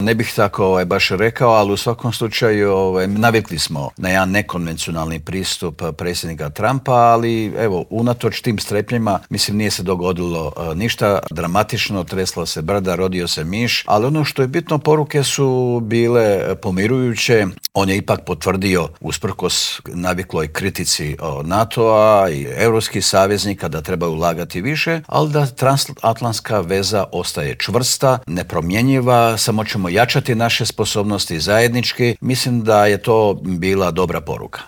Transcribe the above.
Ne bih tako baš rekao, ali u svakom slučaju navikli smo na jedan nekonvencionalni pristup predsjednika Trumpa, ali evo, unatoč tim strepnjima, mislim nije se dogodilo ništa dramatično, tresla se brda, rodio se miš, ali ono što je bitno, poruke su bile pomirujuće. On je ipak potvrdio, usprkos navikloj kritici NATO-a i europskih saveznika, da trebaju ulagati više, ali da transatlantska veza ostaje čvrsta, nepromjenjiva, samo ćemo jačati naše sposobnosti zajednički. Mislim da je to bila dobra poruka.